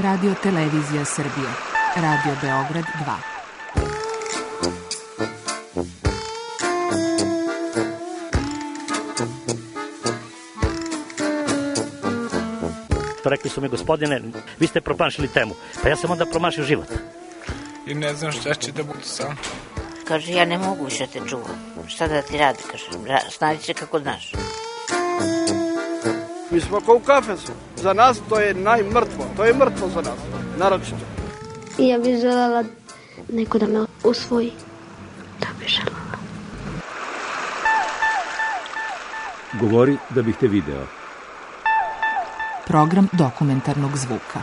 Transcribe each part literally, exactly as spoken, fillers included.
Radio Televizija Srbije, Radio Beograd dva. Rekli su mi, gospodine, vi ste promašili temu. Pa ja sam onda promašio život. I ne znam šta će da budu sam. Kaže, ja ne mogu više te čuvam. Šta da ti radi, kaže, snađi se kako znaš. Mi smo kao u kafesu. Za nas to je najmrtvo. To je mrtvo za nas, naročito. Ja bih želela neko da me usvoji. Da bih želela. Govori da bih te video. Program dokumentarnog zvuka.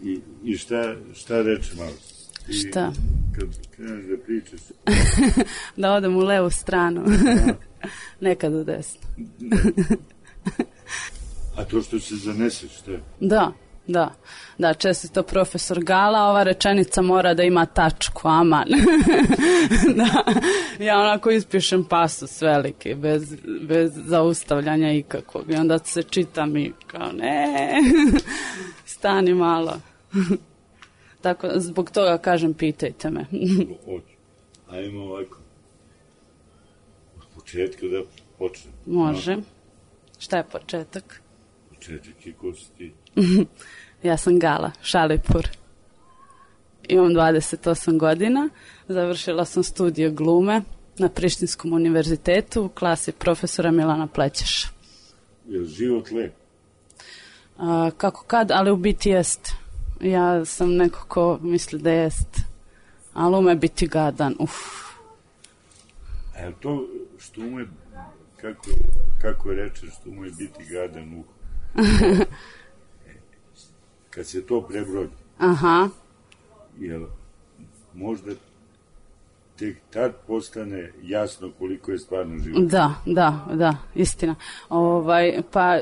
I, i šta, šta reče malo? I šta? Kad kreneš da pričaš? Da odem u levu stranu. Nekad u desnu. A to što se zaneseš, šta? Da, da. Da, često profesor Gala, ova rečenica mora da ima tačku, aman. Da, ja onako ispišem pasus veliki, bez, bez zaustavljanja ikakvog. I onda se čitam i kao, ne, stani malo. Tako, zbog toga kažem, pitajte me. Hoću. Ajmo ovako. Od početka da počnem. Može. No. Šta je početak? Početak je ko si ti? Ja sam Gala Šalipur. Imam dvadeset osam godina. Završila sam studije glume na Prištinskom univerzitetu u klasi profesora Milana Plećeša. Je li život lep? A, kako kad, ali u biti jest. Ja sam neko ko misli da jest. Ali ume biti gadan. Uf. A je to što ume, kako, kako rečeš, što ume biti gadan, uf. Kad se to prebrodi, aha, jel, možda tek tad postane jasno koliko je stvarno život. Da, da, da, istina. Ovaj, pa,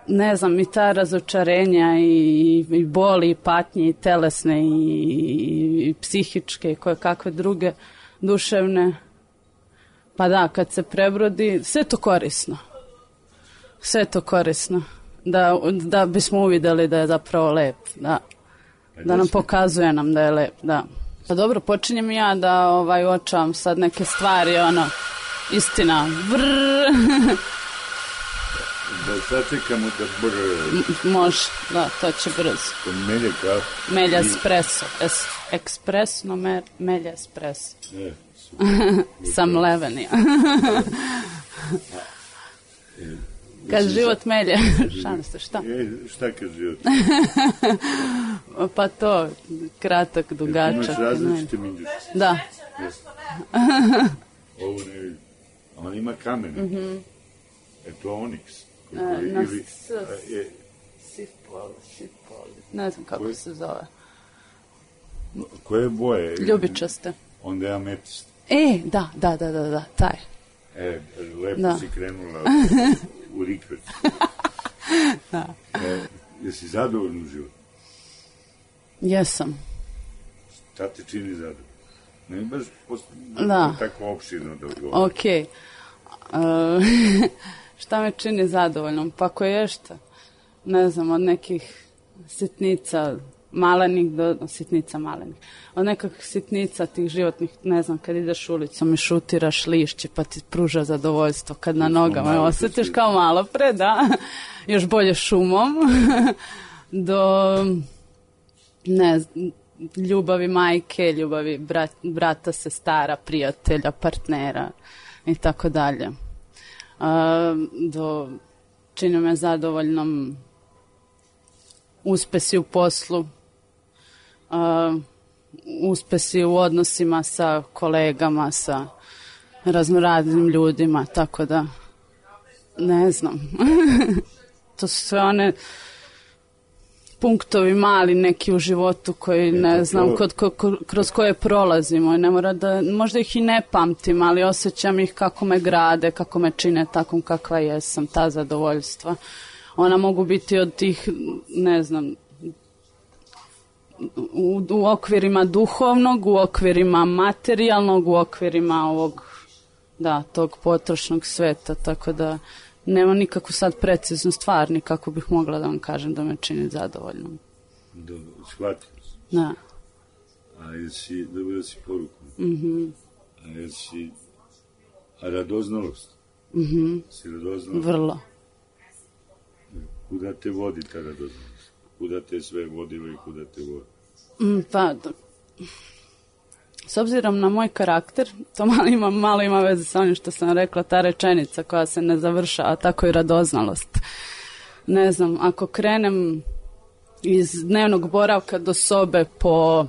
ne znam, i ta razočarenja i, i boli, i patnje, i telesne, i, i, i psihičke, i koje kakve druge duševne. Pa da, kad se prebrodi, sve to korisno. Sve to korisno. Da, da bismo uvideli da je zapravo lep, da, da nam pokazuje nam da je lep, da. Pa dobro, počinjem ja da ovaj, očavam sad neke stvari, ono, istina, vrrrr. Da sačekamo da brrrr. Može, da, to će brzo. To melje kafe. Melja espresso, es, ekspresno me, melja espresso. E, Sam levenija. E, kad život melje, šalim se, šta? E, šta kad život? Pa to, kratak, dugačak. Imaš različite minđuše. Da. Ovo ne vidim. On ima kamen. Mm-hmm. E to oniks. E, na ili, s, je, sipol, sipol, ne znam kako koje, se zove. Koje boje? Ljubičaste. Onda je ametist. E, da, da, da, da, da, taj. E, lepo da. Si krenula u rikvet. Da. E, jesi zadovoljna u životu? Jesam. Šta te čini zadovoljno? Ne baš posto, da. Tako opširno da odgovorim. Okej. Okay. Uh, šta me čini zadovoljnom? Pa ko je šta? Ne znam, od nekih sitnica malenih do sitnica malenih. Od nekakvih sitnica tih životnih, ne znam, kad ideš ulicom i šutiraš lišće pa ti pruža zadovoljstvo kad na nogama osjetiš kao malo pre, da, još bolje šumom, do ne znam, ljubavi majke, ljubavi brat, brata, sestara, prijatelja, partnera i tako dalje. Do čini me zadovoljnom uspesi u poslu, Uh, uspesi u odnosima sa kolegama, sa raznoraznim ljudima, tako da ne znam. To su sve one punktovi mali neki u životu koji ne znam kod, ko, kroz koje prolazimo. Ne mora da, možda ih i ne pamtim, ali osjećam ih kako me grade, kako me čine takom kakva jesam, ta zadovoljstva. Ona mogu biti od tih, ne znam, U, u okvirima duhovnog, u okvirima materijalnog, u okvirima ovog, da, tog potrošnog sveta, tako da nema nikakvu sad preciznu stvar, ni kako bih mogla da vam kažem da me čini zadovoljnom. Dobro, shvatio sam. Da. A jesi, dobila si poruku? Mhm. A jesi, a radoznalost? Mhm. Si radoznalost? Vrlo. Kuda te vodi ta radoznalost? Kuda te sve vodilo i kuda te vodi? Mm, pa, da. S obzirom na moj karakter, to malo ima, malo ima veze sa onim što sam rekla, ta rečenica koja se ne završava, tako i radoznalost. Ne znam, ako krenem iz dnevnog boravka do sobe po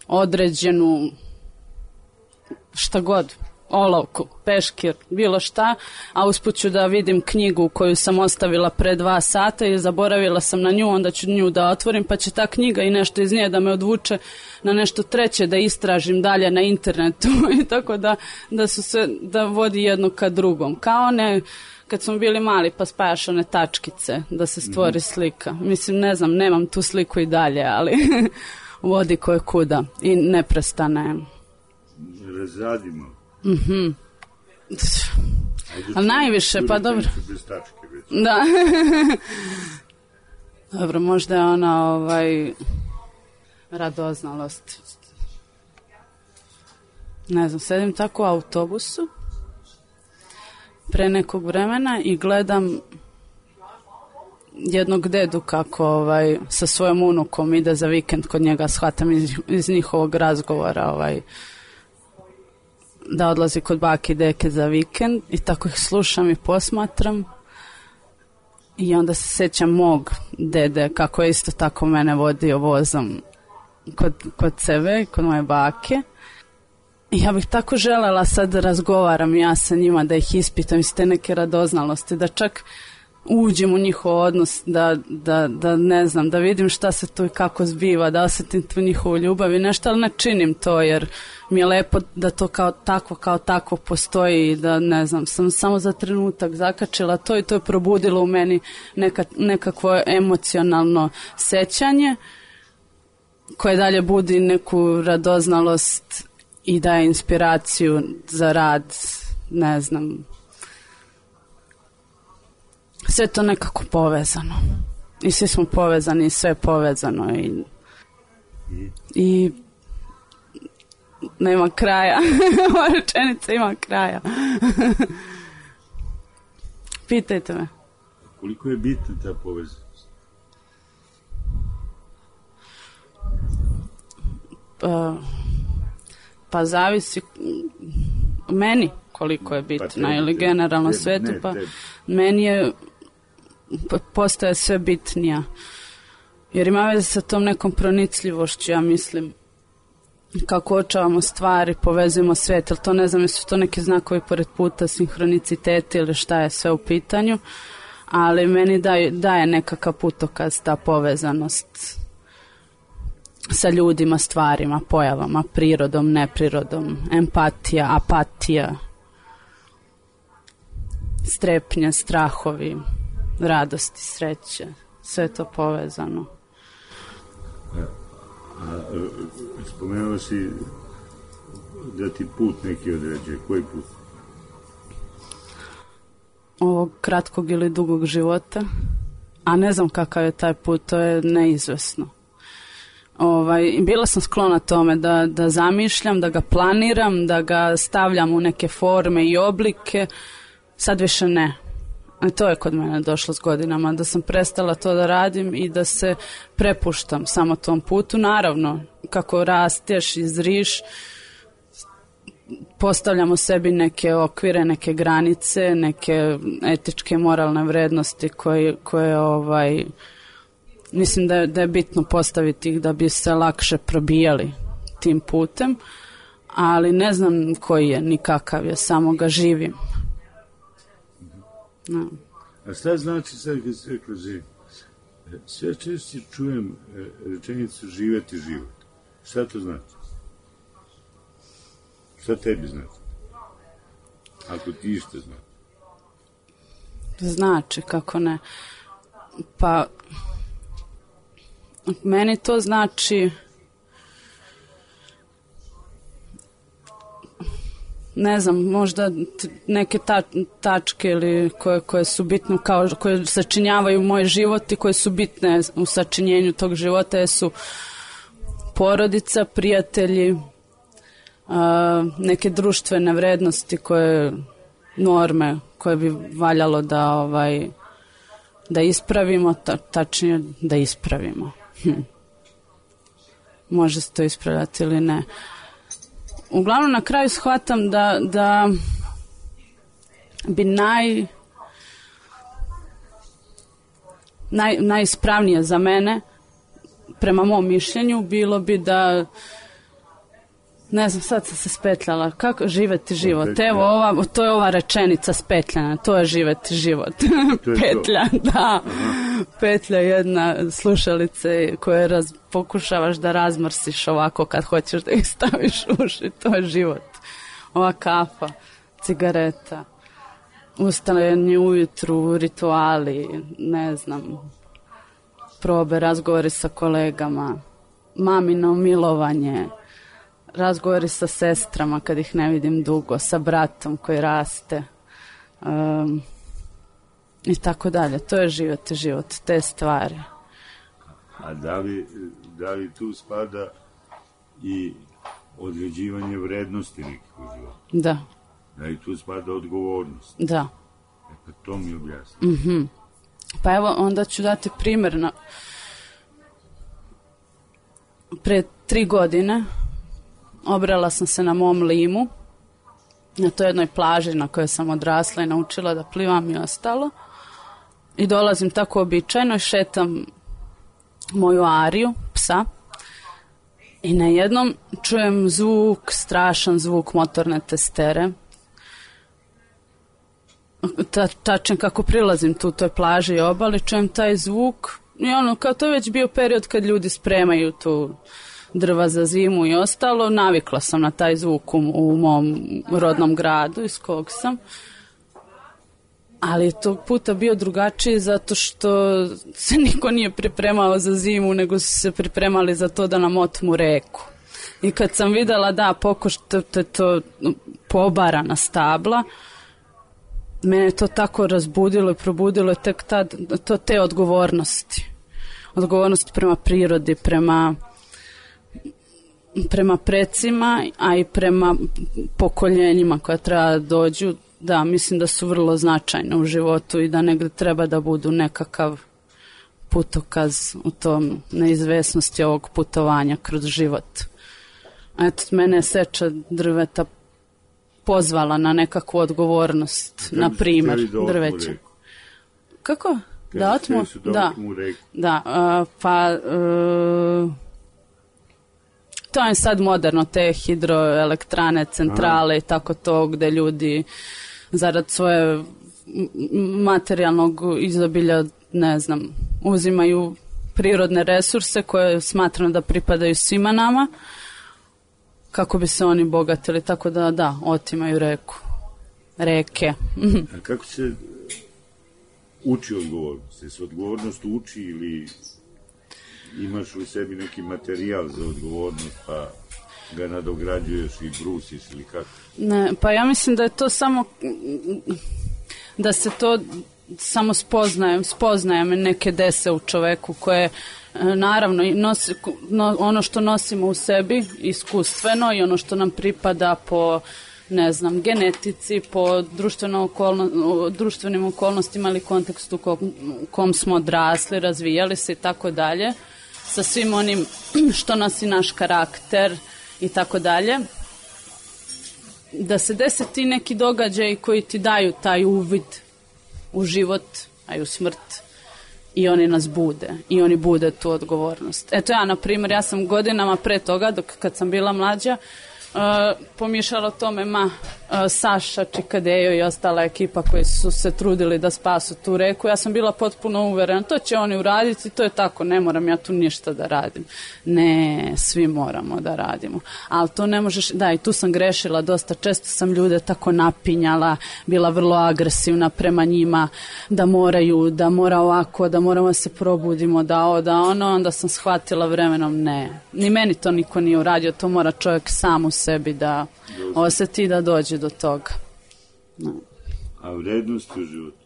određenu šta god, olovku, peškir, bilo šta, a usput ću da vidim knjigu koju sam ostavila pre dva sata i zaboravila sam na nju, onda ću nju da otvorim, pa će ta knjiga i nešto iz nje da me odvuče na nešto treće, da istražim dalje na internetu i tako da, da su se, da vodi jedno ka drugom. Kao one, kad smo bili mali pa spajaš one tačkice da se stvori slika. Mislim, ne znam, nemam tu sliku i dalje, ali vodi koje kuda i neprestane. Razradimo. Mhm. A najviše, pa dobro. Bez tačke već. Da. Dobro, možda je ona ovaj radoznalost. Ne znam, sedim tako u autobusu pre nekog vremena i gledam jednog dedu kako ovaj sa svojom unukom ide za vikend kod njega, shvatam iz, iz njihovog razgovora ovaj da odlazi kod bake i deke za vikend i tako ih slušam i posmatram i onda se sjećam mog dede kako je isto tako mene vodio vozom kod, kod sebe, kod moje bake. I ja bih tako želela sad da razgovaram ja sa njima, da ih ispitam iz te neke radoznalosti, da čak uđem u njihov odnos, da, da, da ne znam, da vidim šta se tu i kako zbiva, da osjetim tu njihovu ljubav i nešto, ali ne činim to jer mi je lepo da to kao takvo, kao takvo postoji i da ne znam, sam samo za trenutak zakačila to i to je probudilo u meni neka, nekakvo emocionalno sećanje koje dalje budi neku radoznalost i daje inspiraciju za rad, ne znam. Sve to nekako povezano. I svi smo povezani i sve je povezano i, i nema kraja. Ova rečenica ima kraja. Pitajte me. Koliko je bitna ta povezanost? Pa, pa zavisi meni koliko je bitna, pa tebi, ili generalno tebi, svetu, ne, pa tebi. Meni je postaje sve bitnija. Jer ima veze sa tom nekom pronicljivošću, ja mislim, kako očavamo stvari, povezujemo svet, ali to ne znam, jesu to neki znakovi pored puta, sinhroniciteti ili šta je sve u pitanju, ali meni daje, daje nekakav putokaz, ta povezanost sa ljudima, stvarima, pojavama, prirodom, neprirodom, empatija, apatija, strepnje, strahovi, radosti, sreće, sve to povezano. A, a, spomenula si da ti put neki određuje. Koji put? Ovog kratkog ili dugog života. A ne znam kakav je taj put, to je neizvesno. Ovaj, bila sam sklona tome da, da zamišljam, da ga planiram, da ga stavljam u neke forme i oblike. Sad više ne. I to je kod mene došlo s godinama, da sam prestala to da radim i da se prepuštam samo tom putu. Naravno, kako rasteš i zriš, postavljamo sebi neke okvire, neke granice, neke etičke, moralne vrednosti koje, koje ovaj, mislim da je, da je bitno postaviti ih da bi se lakše probijali tim putem, ali ne znam koji je, ni kakav je, samo ga živim. No. A šta znači sad kad se rekla živim? Sve češće čujem rečenicu živeti život. Šta to znači? Šta tebi znači? Ako ti što znači? Znači, kako ne. Pa, meni to znači ne znam, možda neke ta, tačke ili koje, koje su bitne, kao, koje sačinjavaju moj život i koje su bitne u sačinjenju tog života su porodica, prijatelji, a, neke društvene vrednosti koje, norme koje bi valjalo da ovaj, da ispravimo, ta, tačnije da ispravimo. Hm. Može se to ispravljati ili ne. Uglavnom na kraju shvatam da, da bi naj, naj, najispravnije za mene, prema mom mišljenju, bilo bi da, ne znam, sad sam se spetljala, kako živeti život. Evo, ova, to je ova rečenica spetljana, to je živeti život. Petlja, da. Aha. Petlja je jedna slušalice koje raz, pokušavaš da razmrsiš ovako kad hoćeš da ih staviš u uši, to je život. Ova kafa, cigareta, ustajanje ujutru, rituali, ne znam, probe, razgovori sa kolegama, mamino milovanje, razgovori sa sestrama kad ih ne vidim dugo, sa bratom koji raste um, i tako dalje. To je život i život, te stvari. A da li, da li tu spada i određivanje vrednosti nekih u životu? Da. Da li tu spada odgovornost? Da. E pa to mi objasni. Mm-hmm. Pa evo, onda ću dati primjer. Na... Pre tri godine obrala sam se na mom limu, na toj jednoj plaži na kojoj sam odrasla i naučila da plivam i ostalo. I dolazim tako običajno i šetam moju Ariju, psa, i na jednom čujem zvuk, strašan zvuk motorne testere. Ta, tačan kako prilazim tu toj plaži i obali, čujem taj zvuk i ono, kao to je već bio period kad ljudi spremaju tu drva za zimu i ostalo, navikla sam na taj zvuk u, u mom rodnom gradu iz kog sam, ali je tog puta bio drugačiji zato što se niko nije pripremao za zimu, nego su se pripremali za to da nam otmu reku. I kad sam videla da pokušate to pobarana stabla, mene to tako razbudilo i probudilo tek tad, to te odgovornosti. Odgovornost prema prirodi, prema prema precima, a i prema pokoljenjima koja treba da dođu, da, mislim da su vrlo značajne u životu i da negdje treba da budu nekakav putokaz u tom neizvesnosti ovog putovanja kroz život. A eto, mene je seča drveta pozvala na nekakvu odgovornost, na primjer, drveće. Kako? Da otmu? Da, da, uh, pa uh, to je sad moderno, te hidroelektrane, centrale i tako to, gde ljudi zarad svoje materijalnog izobilja, ne znam, uzimaju prirodne resurse koje smatram da pripadaju svima nama, kako bi se oni bogatili, tako da, da, otimaju reku, reke. A kako se uči odgovornost? Je se odgovornost uči ili imaš u sebi neki materijal za odgovornost pa ga nadograđuješ i brusiš ili kako? Ne, pa ja mislim da je to samo da se to samo spoznajem, spoznajem neke dese u čoveku koje naravno nosi, no, ono što nosimo u sebi iskustveno i ono što nam pripada po, ne znam, genetici, po društveno okolno, društvenim okolnostima ili kontekstu u kom smo odrasli, razvijali se i tako dalje, sa svim onim što nosi naš karakter i tako dalje, da se dese ti neki događaji koji ti daju taj uvid u život, a i u smrt, i oni nas bude, i oni bude tu odgovornost. Eto ja, na primjer, ja sam godinama pre toga, dok kad sam bila mlađa, uh, pomišljala o tome, ma, uh, Saša, Čikadejo i ostala ekipa koji su se trudili da spasu tu reku, ja sam bila potpuno uverena, to će oni uraditi, to je tako, ne moram ja tu ništa da radim. Ne, svi moramo da radimo. Ali to ne možeš, da, i tu sam grešila dosta, često sam ljude tako napinjala, bila vrlo agresivna prema njima, da moraju, da mora ovako, da moramo da se probudimo, da ovo, da ono, onda sam shvatila vremenom, ne, ni meni to niko nije uradio, to mora čovjek sam u sebi da osjeti da dođe do toga. No. A vrednosti u životu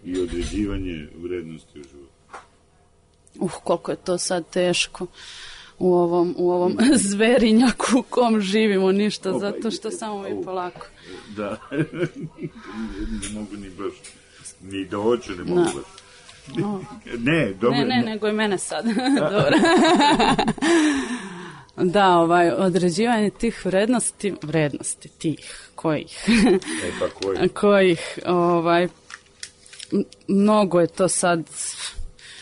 i određivanje vrednosti u životu? Uh, koliko je to sad teško u ovom, u ovom zverinjaku u kom živimo, ništa, Opa, zato što samo mi polako. Da, ne mogu ni baš, ni da hoću ne mogu da. baš. Oh. Ne, dobro. Ne, ne, nego i mene sad. Dobro. Da, ovaj, određivanje tih vrednosti, vrednosti tih, kojih? E pa kojih? Kojih, ovaj, mnogo je to sad...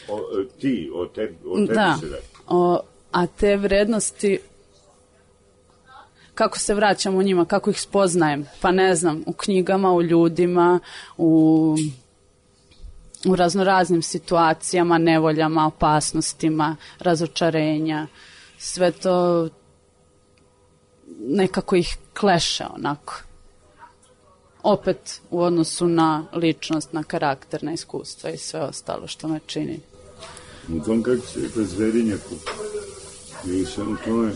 O, ti, o, te, o tebi da, se da. O, a te vrednosti, kako se vraćamo u njima, kako ih spoznajem, pa ne znam, u knjigama, u ljudima, u... u raznoraznim situacijama, nevoljama, opasnostima, razočarenja, sve to nekako ih kleše onako. Opet u odnosu na ličnost, na karakter, na iskustva i sve ostalo što me čini. U tom kako se rekla zverinjaku, ili sam u tome,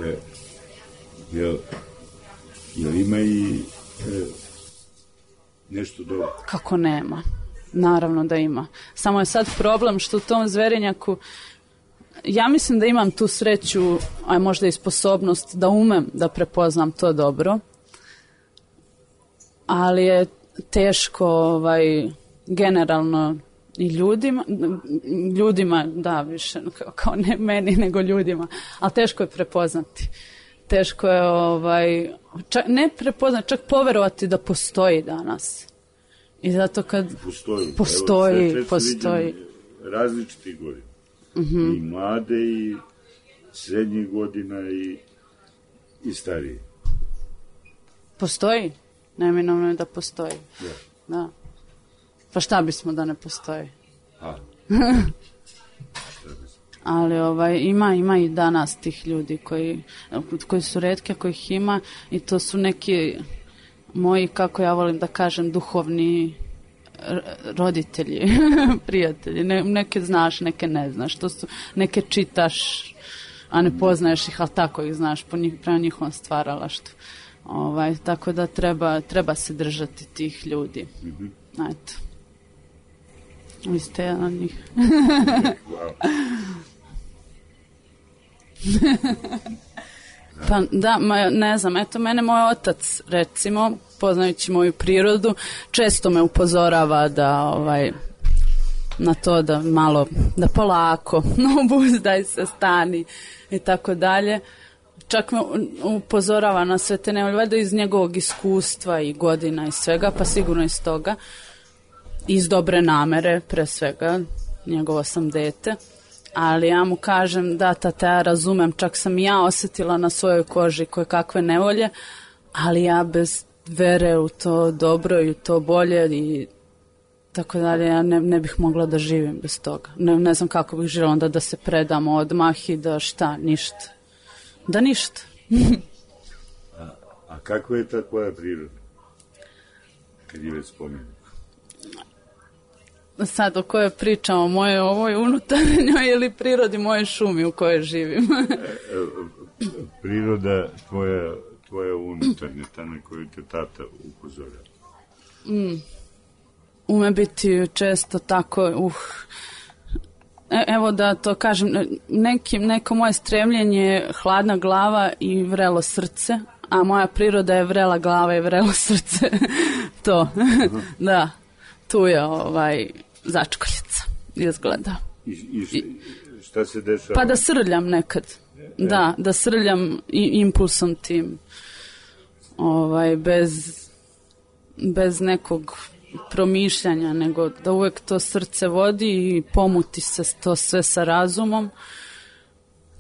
e, jel, jel ima i e, nešto dobro? Kako nema? Naravno da ima. Samo je sad problem što u tom zverinjaku ja mislim da imam tu sreću, a možda i sposobnost da umem da prepoznam to dobro, ali je teško ovaj, generalno i ljudima, ljudima, da, više kao ne meni, nego ljudima, ali teško je prepoznati. Teško je ovaj, čak, ne prepoznati, čak poverovati da postoji danas. I zato kad postoji, postoji, evo, postoji. Različitih godina. Mm-hmm. I mlade i srednjih godina i, i starije. Postoji? Neminovno je da postoji. Ja. Da. Pa šta bismo da ne postoji? A. Ali ovaj, ima, ima i danas tih ljudi koji, koji su retke, kojih ima i to su neki moji, kako ja volim da kažem, duhovni roditelji, prijatelji. Ne, neke znaš, neke ne znaš. To su, neke čitaš, a ne poznaješ ih, ali tako ih znaš po njih, prema njihovom stvaralaštvu. Ovaj, tako da treba, treba se držati tih ljudi. Mm-hmm. Eto. Vi ste jedan od njih. Pa da, ma, ne znam, eto mene moj otac, recimo, poznajući moju prirodu, često me upozorava da ovaj, na to da malo, da polako, obuzdaj se, stani i tako dalje. Čak me upozorava na sve te nevolje, valjda iz njegovog iskustva i godina i svega, pa sigurno iz toga, iz dobre namere, pre svega, njegovo sam dete. Ali ja mu kažem, da, tata, ja razumem, čak sam i ja osjetila na svojoj koži koje kakve nevolje, ali ja bez vere u to dobro i u to bolje i tako dalje, ja ne, ne bih mogla da živim bez toga. Ne, ne znam kako bih živjela onda da se predam odmah i da šta, ništa. Da ništa. a, a kakva je ta tvoja priroda? Kad je već spomenuo. Sad o kojoj pričamo, moje ovoj unutarnjoj ili prirodi moje šumi u kojoj živim? Priroda tvoja, tvoja unutarnja, ta na koju te tata upozorava. Mm. Ume biti često tako, uh, e, evo da to kažem, neki, neko moje stremljenje je hladna glava i vrelo srce, a moja priroda je vrela glava i vrelo srce. To, da. Tu je ovaj začkoljica izgleda. I, i šta se dešava? Pa da srljam nekad. E, da, da srljam i impulsom tim. Ovaj, bez, bez nekog promišljanja, nego da uvek to srce vodi i pomuti se to sve sa razumom.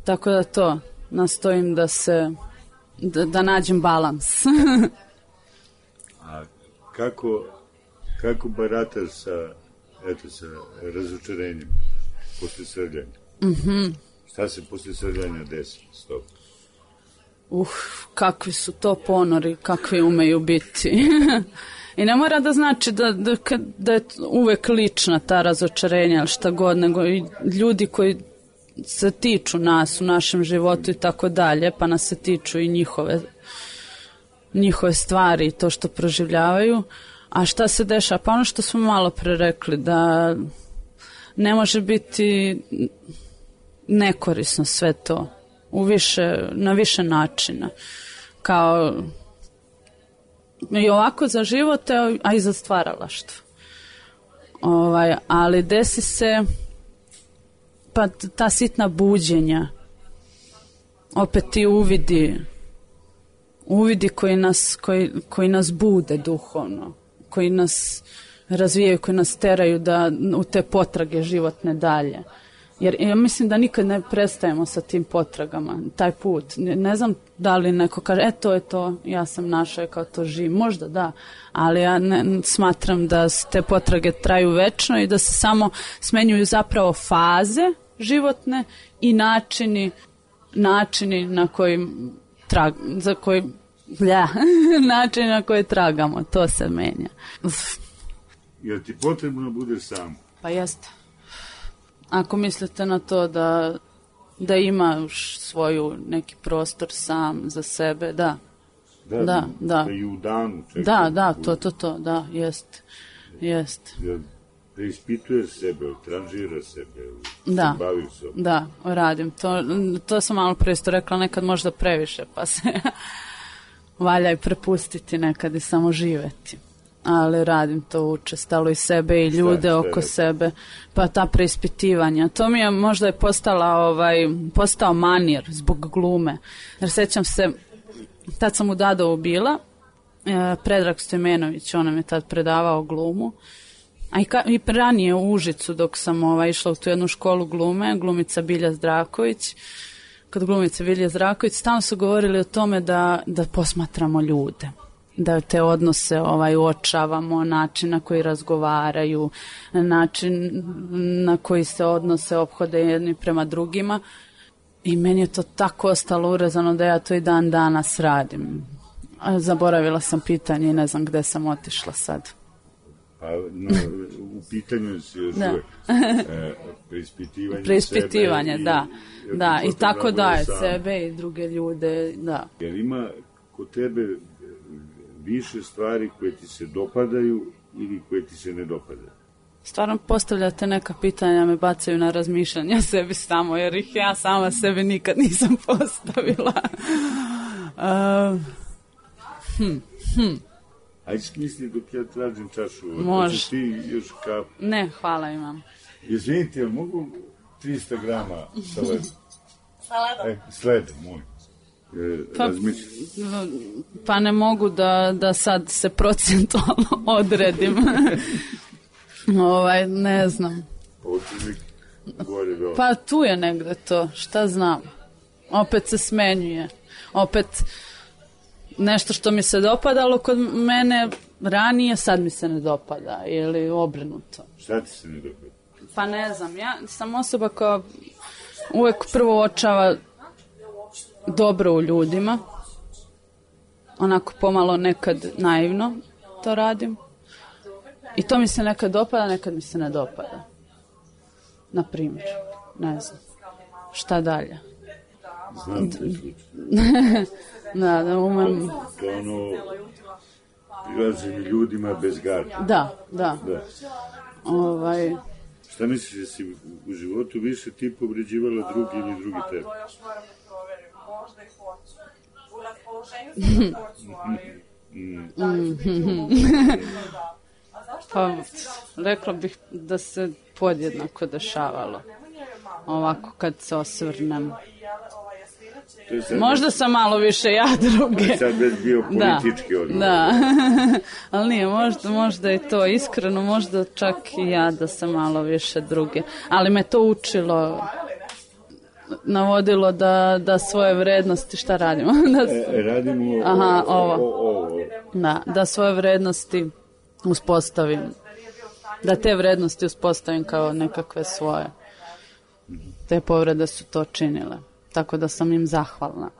Tako da to, nastojim da se, da, da nađem balans. A kako... Kako barataš sa, eto, sa razočarenjem posle srljanja? Mm-hmm. Šta se posle srljanja desi s tobom? Uh, kakvi su to ponori, kakvi umeju biti. I ne mora da znači da, da, da je uvek lična ta razočarenja ili šta god, nego i ljudi koji se tiču nas u našem životu i tako dalje, pa nas se tiču i njihove, njihove stvari i to što proživljavaju. A šta se dešava? Pa ono što smo malo pre rekli, da ne može biti nekorisno sve to u više, na više načina. Kao i ovako za život, a i za stvaralaštvo. Ovaj, ali desi se pa ta sitna buđenja, opet ti uvidi, uvidi koji nas, koji, koji nas bude duhovno, koji nas razvijaju, koji nas teraju da u te potrage životne dalje. Jer ja mislim da nikad ne prestajemo sa tim potragama, taj put. Ne, ne znam da li neko kaže, e to je to, ja sam našao kao to živim. Možda da, ali ja ne, smatram da te potrage traju večno i da se samo smenjuju zapravo faze životne i načini, načini na koji trag, za koji, blja, načini na koji tragamo, to se menja. Uf. Jel ti potrebno budeš sam? Pa jeste. Ako mislite na to da, da imaš svoju neki prostor sam za sebe, da. Da, da, da. Da, da i u danu čekaj. Da, da, to, to, to, da, jest, jest. Da, da ispituješ sebe, tranžiraš sebe, da, se baviš sobom. Da, radim. To, to sam malo pre isto rekla, nekad možda previše, pa se valja i prepustiti nekad i samo živeti. Ali radim to učestalo i sebe i ljude šta, oko sebe, pa ta preispitivanja. To mi je možda je postala, ovaj, postao manir zbog glume. Jer sećam se, tad sam u Dadovu bila, e, Predrag Stojmenović, on nam je tad predavao glumu, a i, ka, i ranije u Užicu dok sam ovaj, išla u tu jednu školu glume, glumica Bilja Zdraković, kod glumice Bilje Zdraković, stalno su govorili o tome da, da posmatramo ljude, da te odnose ovaj, uočavamo, način na koji razgovaraju, način na koji se odnose, ophode jedni prema drugima. I meni je to tako ostalo urezano da ja to i dan danas radim. Zaboravila sam pitanje i ne znam gde sam otišla sad. Pa no, u pitanju si još da. uvek e, preispitivanje, preispitivanje sebe da, i, da, i tako daje sebe i druge ljude, da. Jer ima kod tebe više stvari koje ti se dopadaju ili koje ti se ne dopadaju? Stvarno postavljate neka pitanja, me bacaju na razmišljanja sebi samo, jer ih ja sama sebi nikad nisam postavila. uh, hm, hm. Ajde smisli dok ja tražim čašu. Može. Ti još kapu? Ne, hvala imam. Izvinite, jel mogu trista grama sa ledom? Sa ledom? E, s ledom, moj. Pa, pa ne mogu da, da sad se procentualno odredim. ovaj, ne znam. Pa tu je negde to, šta znam. Opet se smenjuje. Opet nešto što mi se dopadalo kod mene ranije, sad mi se ne dopada. Ili obrnuto. Šta ti se ne dopada? Pa ne znam, ja sam osoba koja uvek prvo uočava dobro u ljudima, onako pomalo nekad naivno to radim i to mi se nekad dopada, nekad mi se ne dopada, na primjer, ne znam šta dalje. Znam te slučaj. Da, da umem. To ono prilazim ljudima bez garda. Da, da, da. Ovaj... Šta misliš da si u životu više ti povređivala drugi ili drugi tebe? Možda i hoću. U raspoloženju sam hoću, ali da li ću biti u mogu da. A zašto pa, mene svi da... rekla bih da se podjednako dešavalo. Ovako kad se osvrnem. Možda sam malo više ja druge. Ali sad već bio politički odgovor. Da, ali nije, možda, možda i to iskreno, možda čak i ja da sam malo više druge. Ali me to učilo, navodilo da, da svoje vrednosti, šta radimo? da, e, radimo aha, ovo. O, o, o. Da, da svoje vrednosti uspostavim. Da te vrednosti uspostavim kao nekakve svoje. Te povrede su to činile. Tako da sam im zahvalna.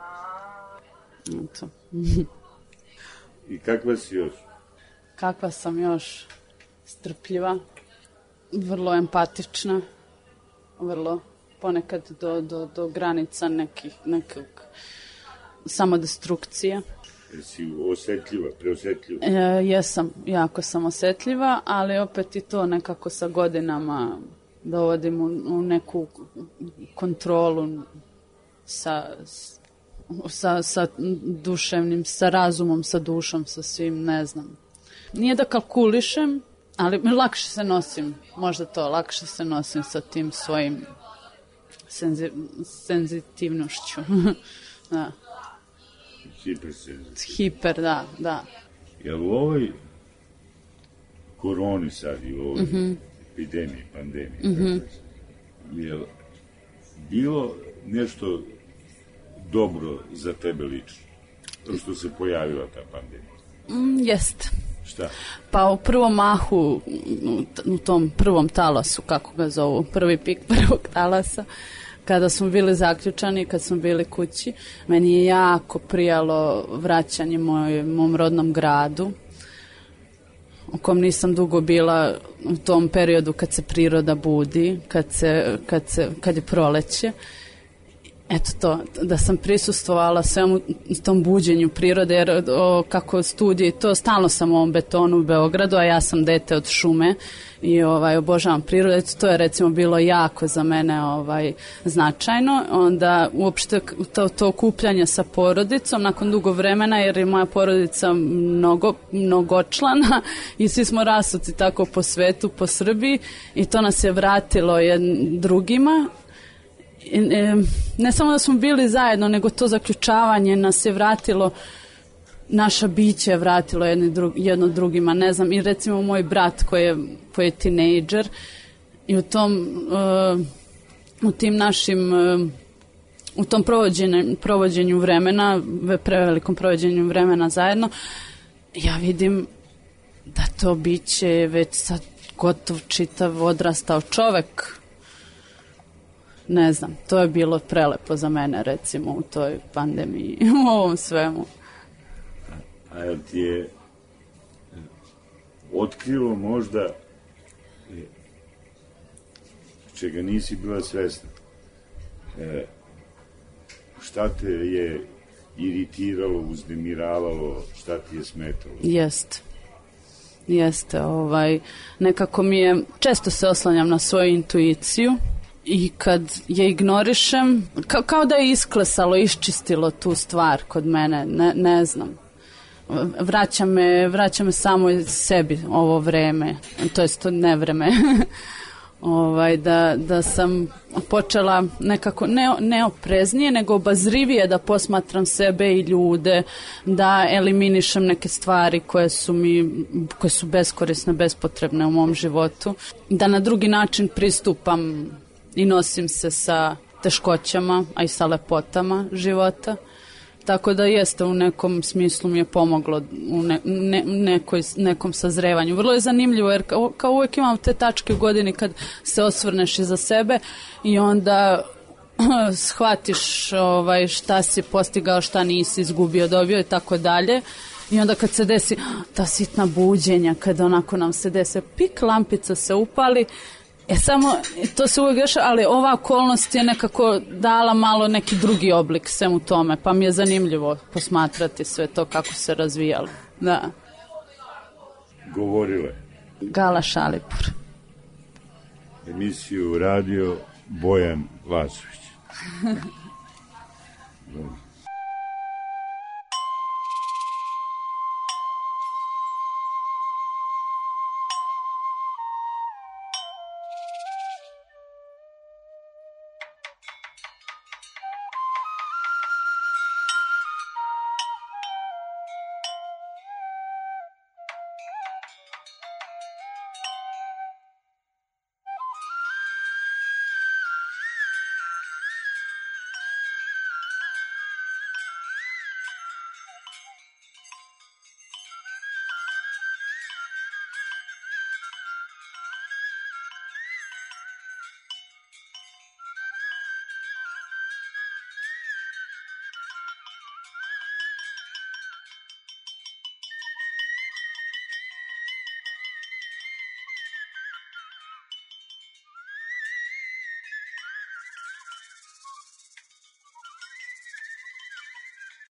Eto. I kakva si još? Kakva sam još? Strpljiva, vrlo empatična, vrlo ponekad do, do, do granica nekih, nekog samodestrukcije. Jesi osjetljiva, preosjetljiva? E, jesam, jako sam osjetljiva, ali opet i to nekako sa godinama dovodim u, u neku kontrolu sa, sa, sa duševnim, sa razumom, sa dušom, sa svim, ne znam. Nije da kalkulišem, ali lakše se nosim, možda to, lakše se nosim sa tim svojim senzi, senzitivnošću. Da. Hipersenzitivno. Hiper, da, da. Jel u ovoj koroni sad i u ovoj mm-hmm. epidemiji, pandemiji, mm-hmm. jel bilo nešto dobro za tebe lično? To što se pojavila ta pandemija? Mm, jest. Šta? Pa u prvom mahu, u tom prvom talasu, kako ga zovu, prvi pik prvog talasa, kada smo bili zaključani, kad smo bili kući, meni je jako prijalo vraćanje moj, mom rodnom gradu, u kom nisam dugo bila u tom periodu kad se priroda budi, kad, se, kad, se, kad je proleće. Eto to, da sam prisustvovala svemu tom buđenju prirode, jer o, kako studije, to stalno sam u ovom betonu u Beogradu, a ja sam dete od šume i ovaj, obožavam prirodu. Eto, to je recimo bilo jako za mene ovaj, značajno. Onda uopšte to, to okupljanje sa porodicom nakon dugo vremena, jer je moja porodica mnogo, mnogočlana i svi smo rasuti tako po svetu, po Srbiji i to nas je vratilo jednim drugima. Ne samo da smo bili zajedno, nego to zaključavanje nas je vratilo, naša biće je vratilo jedno, drug, jedno drugima, ne znam, i recimo moj brat koji je, koji je tinejdžer i u tom uh, u tim našim uh, u tom provođenju, provođenju vremena, prevelikom provođenju vremena zajedno, ja vidim da to biće je već sad gotov čitav odrastao čovek. Ne znam, to je bilo prelepo za mene, recimo, u toj pandemiji, u ovom svemu. A jel ti je otkrilo možda čega nisi bila svesna? E, šta te je iritiralo, uznemiravalo, šta ti je smetalo? Jeste. Jeste, ovaj, nekako mi je, često se oslanjam na svoju intuiciju, i kad je ignorišem, kao, kao da je isklesalo, iščistilo tu stvar kod mene, ne, ne znam. Vraća me, vraća me samo sebi ovo vreme, to jest to ne vreme. ovaj, da, da sam počela nekako ne, neopreznije, nego obazrivije da posmatram sebe i ljude, da eliminišem neke stvari koje su mi, koje su beskorisne, bespotrebne u mom životu, da na drugi način pristupam i nosim se sa teškoćama, a i sa lepotama života. Tako da jeste, u nekom smislu mi je pomoglo u ne, ne, nekoj, nekom sazrevanju. Vrlo je zanimljivo, jer kao, kao uvijek imam te tačke u godini kad se osvrneš iza sebe i onda shvatiš ovaj, šta si postigao, šta nisi izgubio, dobio i tako dalje. I onda kad se desi ta sitna buđenja, kada onako nam se desi, pik, lampica se upali. E samo, to se uvijek dešava, ali ova okolnost je nekako dala malo neki drugi oblik svemu tome, pa mi je zanimljivo posmatrati sve to kako se razvijalo. Da. Govorile. Gala Šalipur. Emisiju radio Bojan Vasović.